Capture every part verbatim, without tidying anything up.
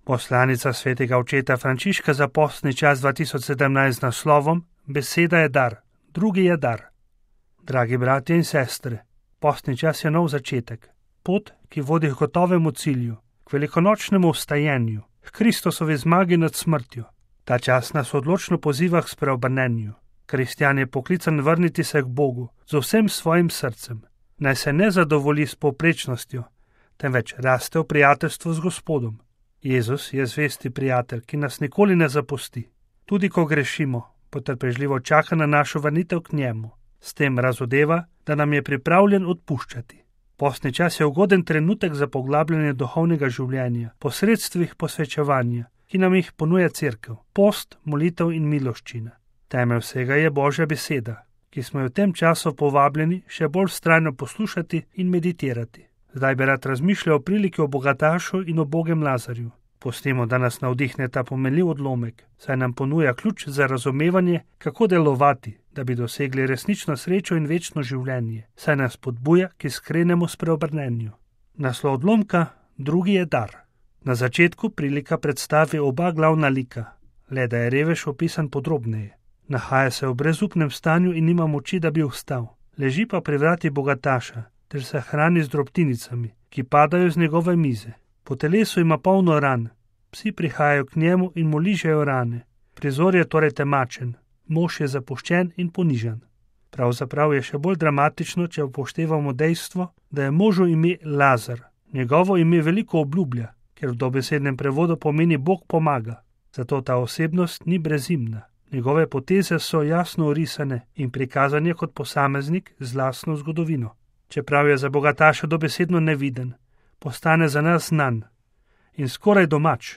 Poslanica svetega očeta Frančiška za postni čas dva tisoč sedemnajst z naslovom Beseda je dar, drugi je dar. Dragi bratje in sestre, postni čas je nov začetek, pot, ki vodi k gotovemu cilju, k velikonočnemu vstajenju, k Kristusovi zmagi nad smrtjo. Ta čas nas odločno poziva k spreobrnenju. Kristjan je poklican vrniti se k Bogu z vsem svojim srcem. Naj se ne zadovolji s povprečnostjo, temveč raste v prijateljstvu z Gospodom. Jezus je zvesti prijatelj, ki nas nikoli ne zapusti. Tudi ko grešimo, potrpežljivo čaka na našo vrnitev k njemu. S tem razodeva, da nam je pripravljen odpuščati. Postni čas je ugoden trenutek za poglabljanje duhovnega življenja, posredstvih posvečevanja, ki nam jih ponuja cerkev, post, molitev in miloščina. Temelj vsega je Božja beseda, ki smo jo v tem času povabljeni še bolj vztrajno poslušati in meditirati. Zdaj bi rad razmišljal o priliki o bogatašu in o ubogem Lazarju. Pustimo, da nas navdihne ta pomenljiv odlomek, saj nam ponuja ključ za razumevanje, kako delovati, da bi dosegli resnično srečo in večno življenje, saj nas podbuja k iskrenemu spreobrnenju. Naslov odlomka, drugi je dar. Na začetku prilika predstavi oba glavna lika, le da je revež opisan podrobneje. Nahaja se v brezupnem stanju in nima moči, da bi vstal. Leži pa pri vrati bogataša, ter se hrani z drobtinicami, ki padajo z njegove mize. Po telesu ima polno ran, psi prihajajo k njemu in mu ližejo rane. Prizor je torej temačen, mož je zapuščen in ponižan. Pravzaprav je še bolj dramatično, če upoštevamo dejstvo, da je možu ime Lazar. Njegovo ime veliko obljublja, ker v dobesednem prevodu pomeni Bog pomaga. Zato ta osebnost ni brezimna. Njegove poteze so jasno orisane in prikazane kot posameznik z lastno zgodovino. Čeprav je za bogataša dobesedno neviden, postane za nas znan in skoraj domač,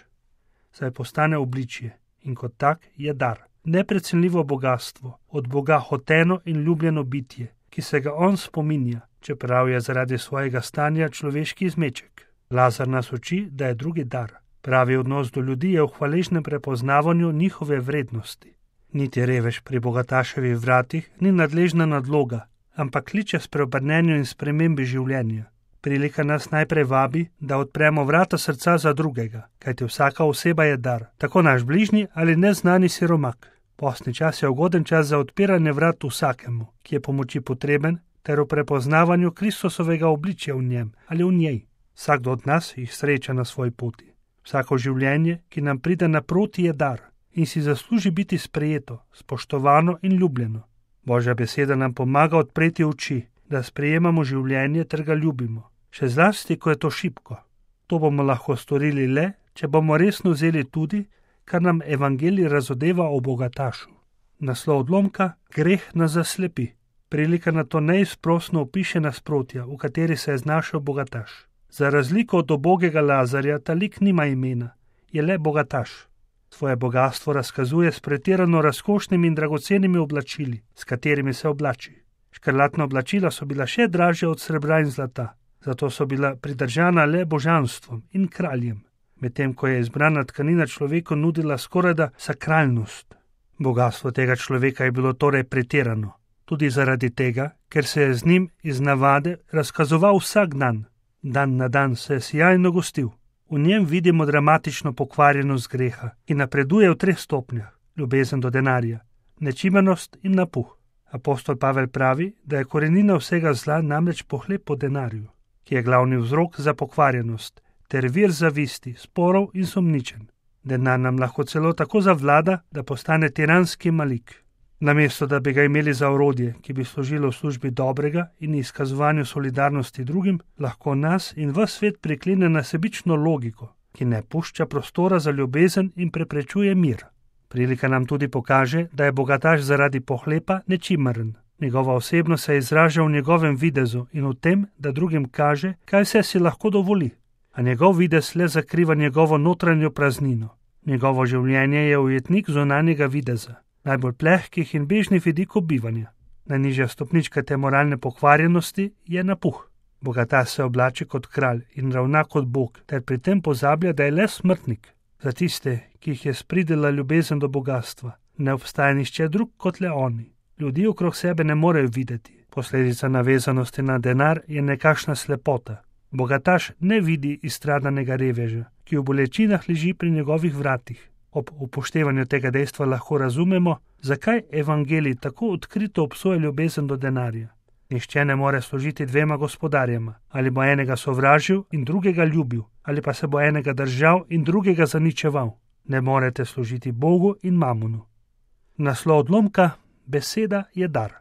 saj postane obličje in kot tak je dar. Neprecenljivo bogatstvo, od Boga hoteno in ljubljeno bitje, ki se ga on spominja, čeprav je zaradi svojega stanja človeški izmeček. Lazar nas uči, da je drugi dar. Pravi odnos do ljudi je v hvaležnem prepoznavanju njihove vrednosti. Niti revež pri bogataševih vratih ni nadležna nadloga, ampak kliče spreobrnenju in spremembi življenja. Prilika nas najprej vabi, da odpremo vrata srca za drugega, kajti vsaka oseba je dar, tako naš bližnji ali neznani siromak. Postni čas je ugoden čas za odpiranje vrat vsakemu, ki je pomoči potreben, ter v prepoznavanju Kristusovega obličja v njem ali v njej. Vsakdo od nas jih sreča na svoji poti. Vsako življenje, ki nam pride naproti, je dar in si zasluži biti sprejeto, spoštovano in ljubljeno. Božja beseda nam pomaga odpreti oči, da sprejemamo življenje ter ga ljubimo. Še zlasti, ko je to šibko. To bomo lahko storili le, če bomo resno vzeli tudi, kar nam evangelij razodeva o bogatašu. Naslov odlomka, greh nas zaslepi. Prilika na to neizprosno opiše nasprotja, v kateri se je znašel bogataš. Za razliko od ubogega Lazarja, ta lik nima imena, je le bogataš. Svoje bogatstvo razkazuje s pretirano razkošnimi in dragocenimi oblačili, s katerimi se oblači. Škrlatna oblačila so bila še dražja od srebra in zlata, zato so bila pridržana le božanstvom in kraljem, medtem ko je izbrana tkanina človeku nudila skorajda sakralnost. Bogatstvo tega človeka je bilo torej pretirano, tudi zaradi tega, ker se je z njim iz navade razkazoval vsak dan. Dan na dan se je sijajno gostil. V njem vidimo dramatično pokvarjenost greha, ki napreduje v treh stopnjah: ljubezen do denarja, nečimernost in napuh. Apostol Pavel pravi, da je korenina vsega zla namreč pohlep po denarju, ki je glavni vzrok za pokvarjenost, ter vir zavisti, sporov in sumničenj. Denar nam lahko celo tako zavlada, da postane tiranski malik. Namesto da bi ga imeli za orodje, ki bi služilo v službi dobrega in izkazovanju solidarnosti drugim, lahko nas in ves svet priklene na sebično logiko, ki ne pušča prostora za ljubezen in preprečuje mir. Prilika nam tudi pokaže, da je bogataš zaradi pohlepa nečimrn. Njegova osebnost se izraža v njegovem videzu in v tem, da drugim kaže, kaj vse si lahko dovoli. A njegov videz le zakriva njegovo notranjo praznino. Njegovo življenje je ujetnik zunanjega videza, najbolj plehkih in bežnih vidikov bivanja. Najnižja stopnička te moralne pokvarjenosti je napuh. Bogataš se oblači kot kralj in ravna kot bog, ter pri tem pozablja, da je le smrtnik. Za tiste, ki jih je spridila ljubezen do bogatstva, ne obstaja nišče drug kot le oni. Ljudi okrog sebe ne morejo videti. Posledica navezanosti na denar je nekakšna slepota. Bogataš ne vidi izstradanega reveža, ki v bolečinah leži pri njegovih vratih. Ob upoštevanju tega dejstva lahko razumemo, zakaj evangelij tako odkrito obsoja ljubezen do denarja. Nihče ne more služiti dvema gospodarjema, ali bo enega sovražil in drugega ljubil, ali pa se bo enega držal in drugega zaničeval. Ne morete služiti Bogu in mamonu. Naslov odlomka: beseda je dar.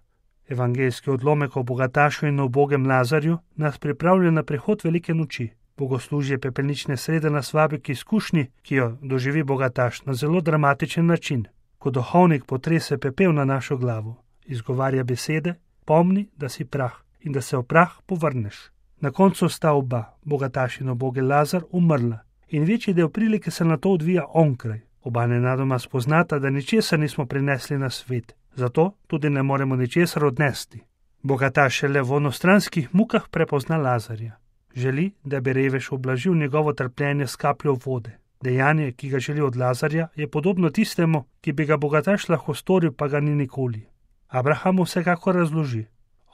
Evangeljski odlomek o bogatašu in ubogem Lazarju nas pripravlja na prihod velike noči. Bogoslužje pepelnične srede nas vabi k izkušnji, ki jo doživi bogataš na zelo dramatičen način. Ko duhovnik potrese pepel na našo glavo, izgovarja besede: pomni, da si prah in da se v prah povrneš. Na koncu sta oba, bogataš in ubogi Lazar, umrla in večji del prilike se na to odvija onkraj. Oba nenadoma spoznata, da ničesar nismo prinesli na svet, zato tudi ne moremo ničesar odnesti. Bogataš šele v onostranskih mukah prepozna Lazarja. Želi, da bi revež ublažil njegovo trpljenje s kapljo vode. Dejanje, ki ga želi od Lazarja, je podobno tistemu, ki bi ga bogataš lahko storil, pa ga ni nikoli. Abraham vsekakor razloži: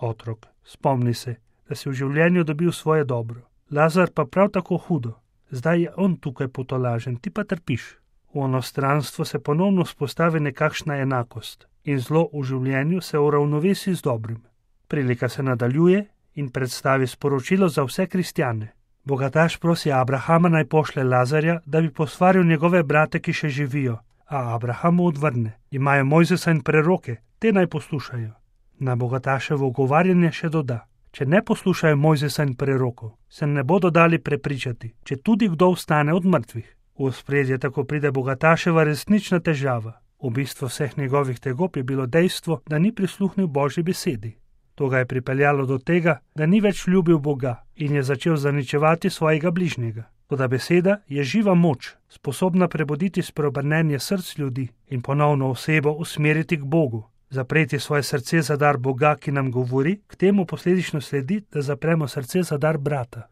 otrok, spomni se, da si v življenju dobil svoje dobro. Lazar pa prav tako hudo. Zdaj je on tukaj potolažen, ti pa trpiš. V onostranstvu se ponovno spostavi nekakšna enakost in zlo v življenju se uravnovesi z dobrim. Prilika se nadaljuje in predstavi sporočilo za vse kristjane. Bogataš prosi Abrahama, naj pošle Lazarja, da bi posvaril njegove brate, ki še živijo, a Abraham mu odvrne: imajo Mojzesa in preroke, te naj poslušajo. Na bogataševo ugovarjanje še doda: če ne poslušajo Mojzesa in prerokov, se ne bodo dali prepričati, če tudi kdo vstane od mrtvih. V ospredje tako pride bogataševa resnična težava. V bistvu vseh njegovih tegob je bilo dejstvo, da ni prisluhnil Božji besedi. To ga je pripeljalo do tega, da ni več ljubil Boga in je začel zaničevati svojega bližnjega. Toda beseda je živa moč, sposobna prebuditi spreobrnenje src ljudi in ponovno osebo usmeriti k Bogu. Zapreti svoje srce za dar Boga, ki nam govori, k temu posledično sledi, da zapremo srce za dar brata.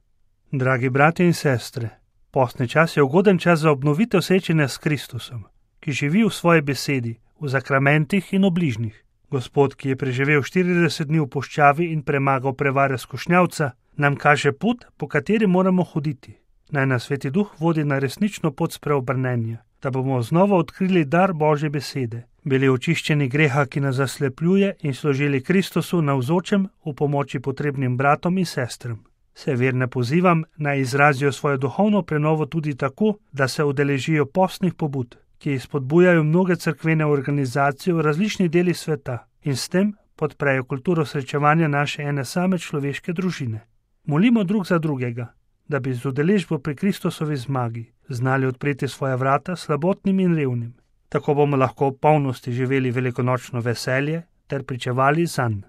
Dragi bratje in sestre, postni čas je ugoden čas za obnovitev srečanja s Kristusom, ki živi v svoji besedi, v zakramentih in v bližnjih. Gospod, ki je preživel štirideset dni v puščavi in premagal prevare skušnjavca, nam kaže pot, po kateri moramo hoditi. Naj nas Sveti Duh vodi na resnično pot spreobrnenja, da bomo znova odkrili dar Božje besede, bili očiščeni greha, ki nas zaslepljuje, in služili Kristusu navzočem v pomoči potrebnim bratom in sestram. Se verne pozivam, naj izrazijo svojo duhovno prenovo tudi tako, da se udeležijo postnih pobud, ki spodbujajo mnoge cerkvene organizacije v različnih delih sveta in s tem podprejo kulturo srečevanja naše ene same človeške družine. Molimo drug za drugega, da bi z udeležbo pri Kristusovi zmagi znali odpreti svoja vrata slabotnim in revnim. Tako bomo lahko v polnosti živeli velikonočno veselje ter pričevali zanj.